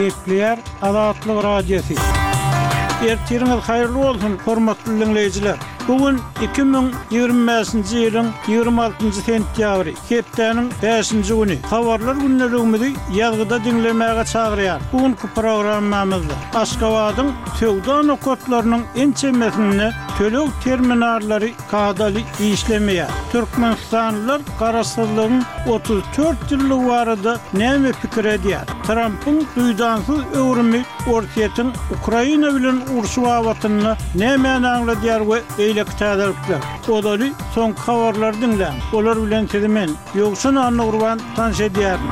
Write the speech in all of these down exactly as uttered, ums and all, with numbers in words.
Gepleýär Azatlyk Radiosy. Ertiriňiz haýyrly bolsun, hormatly diňleýjiler. Bu gün iki müň ýigrimi bäşinji ýylyň ýigrimi altynjy sentýabry, hepdäniň bäşinji güni. Habarlar gündeligimizi ýazgyda diňlemäge çagyrýar. Bu günki programmamyzda Aşgabadyň söwda nokatlarynyň ençemesinde töleg terminallary kadaly işlemeýär. Türkmenistanlylar Garaşsyzlygyň otuz dört ýyllygy barada näme pikir edýär? Trampyň duýdansyz öwrümi Orsýetiň Ukraina bilen urşy babatynda nämäni aňladýar we beýleki täzelikler. Ozaly soňky habarlary diňläň. Olar bilen sizi men, Ýowşan Annagurban tanyş edýärin.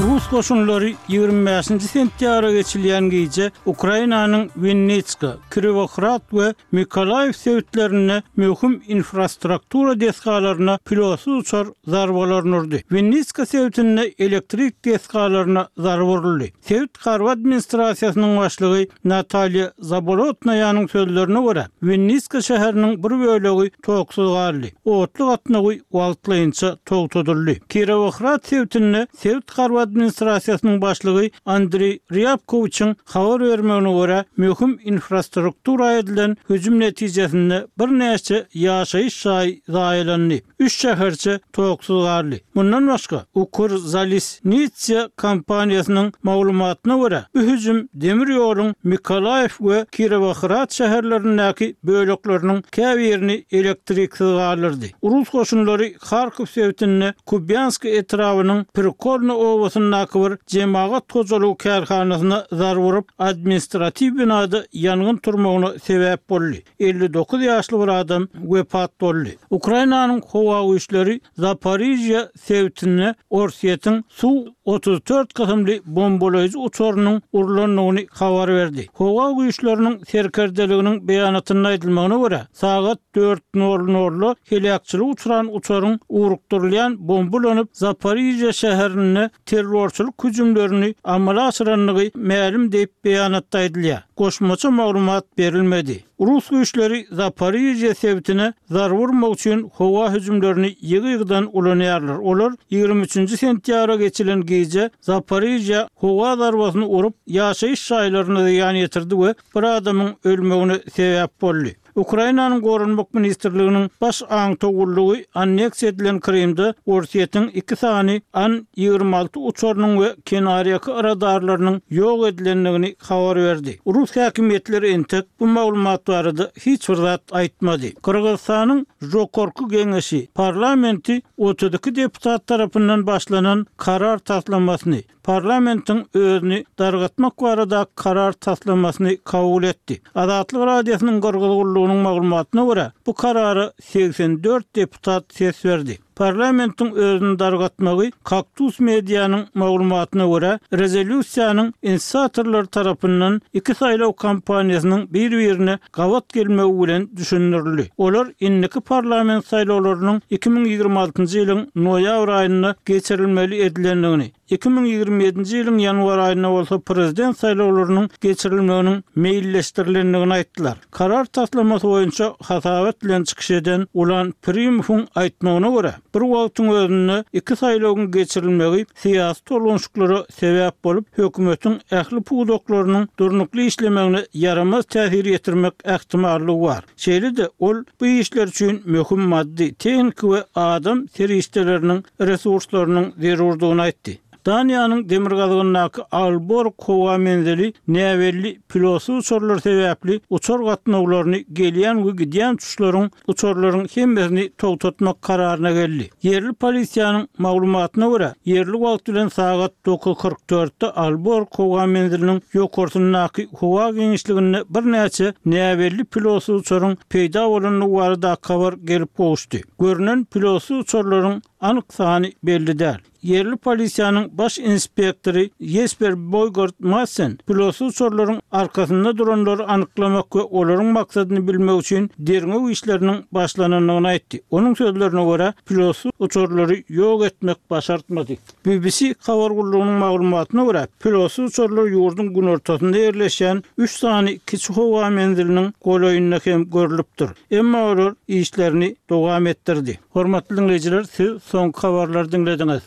Rus goşunlary ýigrimi bäşinji sentýabra geçilýän gije Ukrainanyň Winnitska, Kirowohrad we Mykolaýiw sebitlerinde möhüm infrastruktura desgalaryna pilotsyz uçar zarbalaryny urdy. Winnitska sebitinde elektrik desgalaryna zarba uruldy. Sebit harby administrasiýasynyň başlygy Natalýa Zabolotnaýanyň sözlerine görä, Winnitska şäheriniň bir bölegi toksuz galdy. Otly gatnawy wagtlaýynça togtadyldy. Kirowohrad sebitinde sebit harby administrasiýasynyň başlygy Andreý Rýabkowiçiň habar bermegine görä, möhüm infrastruktura edilen hüjüm netijesinde birnäçe ýaşaýyş jaýy zaýalandy, üç şäherçe toksuz galdy. Mundan başga, Ukrzaliznytsia kompaniýasynyň maglumatyna görä, bu hüjüm demir ýoluň Mykolaýiw we Kirowohrad şäherlerindäki bölekleriniň käbirini elektriksiz galdyrdy. Rus goşunlary Harkow sebitinde Kubýansk etrabynyň Prikolny obasyndaky bir jemagat hojalygy kärhanasyna zarba urup, administratiw binada ýangyn turmagyna sebäp boldy. Elli dokuz ýaşly bir adam wepat boldy. Ukrainanyň howa güýçleri Zaporižýa sebitinde Orsýetiň Su otuz dört kysymly bombalaýjy uçarynyň urlandygyny habar berdi. Howa güýçleriniň serkerdeliginiň beýanatynda aýdylmagyna görä, sagat dört nol nolda heläkçilige uçran uçaryň ugrukdyrylýan bomba ulanyp, Zaporižýa şäherinde terrorçylyk hüjümlerini amala aşyrandygy mälim diýip beýanatda aýdylýar. Goşmaça maglumat berilmedi. Rus güýçleri Zaporižýa sebitine zarba urmak üçin howa hüjümlerini ýygy-ýygydan ulanýarlar. Olar ýigrimi üçünji sentýabra geçilen gije Zaporižýa howa zarbasyny urup, ýaşaýyş jaýlaryna zyýan ýetirdi we bir adamyň ölmegine sebäp boldy. Ukrainanyň Goranmak ministrliginiň baş aňtaw gullugy anneksiýa edilen Krymda Orsýetiň iki sany An ýigrimi alty uçarynyň we kenarýaka radarlarynyň ýok edilendigini habar berdi. Rus häkimiýetleri entek bu maglumat barada hiç bir zat aýtmady. Gyrgyzystanyň Žokorku geňeşi parlamenti otuz iki deputat tarapyndan başlanan karar taslamasyny, parlamentiň özüni dargatmak barada karar taslamasyny kabul etdi. Azatlyk Radiosynyň Gyrgyz gullugynyň maglumatyna görä, bu karara segsen dört deputat ses berdi. Parlamentiň özüni dargatmagy Kaktus Medianyň maglumatyna görä, rezolýusiýanyň inisiatorlary tarapyndan iki saýlaw kampaniýasynyň bir-birine gabat gelmegi bilen düşündirildi. Olar indiki parlament saýlawlarynyň iki müň ýigrimi altynjy ýylyň noýabr aýynda geçirilmeli edilendigini, iki müň ýigrimi ýedinji ýylyň ýanwar aýynda bolsa prezident saýlawlarynyň geçirilmeginiň meýilleşdirilendigini aýtdylar. Karar taslamasy boýunça hasabat bilen çykyş eden Ulan Primowyň aýtmagyna görä, bir wagtyň özünde iki saýlawyň geçirilmegi syýasy tolgunşyklara sebäp bolup, hökümetiň ähli pudaklarynyň durnukly işlemegine ýaramaz täsir ýetirmek ähtimallygy bar. Şeýle-de ol bu işler üçin möhüm maddy, tehniki we adam serişdeleriniň resurslarynyň zerurdygyny aýtdy. Daniýanyň demirgazygyndaky Aalborg howa menzili näbelli pilotsyz uçarlar sebäpli uçar gatnawlaryny gelýän we gidýän uçuşlaryň uçarlaryň hemmesini togtatmak kararyna geldi. Ýerli polisiýanyň maglumatyna görä, ýerli wagt bilen sagat dokuz kyrk dörtde Aalborg howa menziliniň ýokarsyndaky howa giňişliginde birnäçe näbelli pilotsyz uçaryň peýda bolandygy baradaky habar gelip gowuşdy. Görünen pilotsyz uçarlaryň anyk sany belli däl. Ýerli polisiýanyň baş inspektory Jesper Boýgard Madsen pilotsyz uçarlaryň arkasynda duranlary anyklamak we olaryň maksadyny bilmek üçin derňew işleriniň başlanandygyny aýtdy. Onuň sözlerine görä, pilotsyz uçarlary ýok etmek başartmady. B B C habar gullugynyň maglumatyna görä, pilotsyz uçarlar ýurduň günortasynda ýerleşýän üç sany kiçi howa menziliniň golaýynda hem görlüpdir. Emma olar işlerini dowam etdirdi. Hormatly diňleýjiler, siz soňky habarlary diňlediňiz.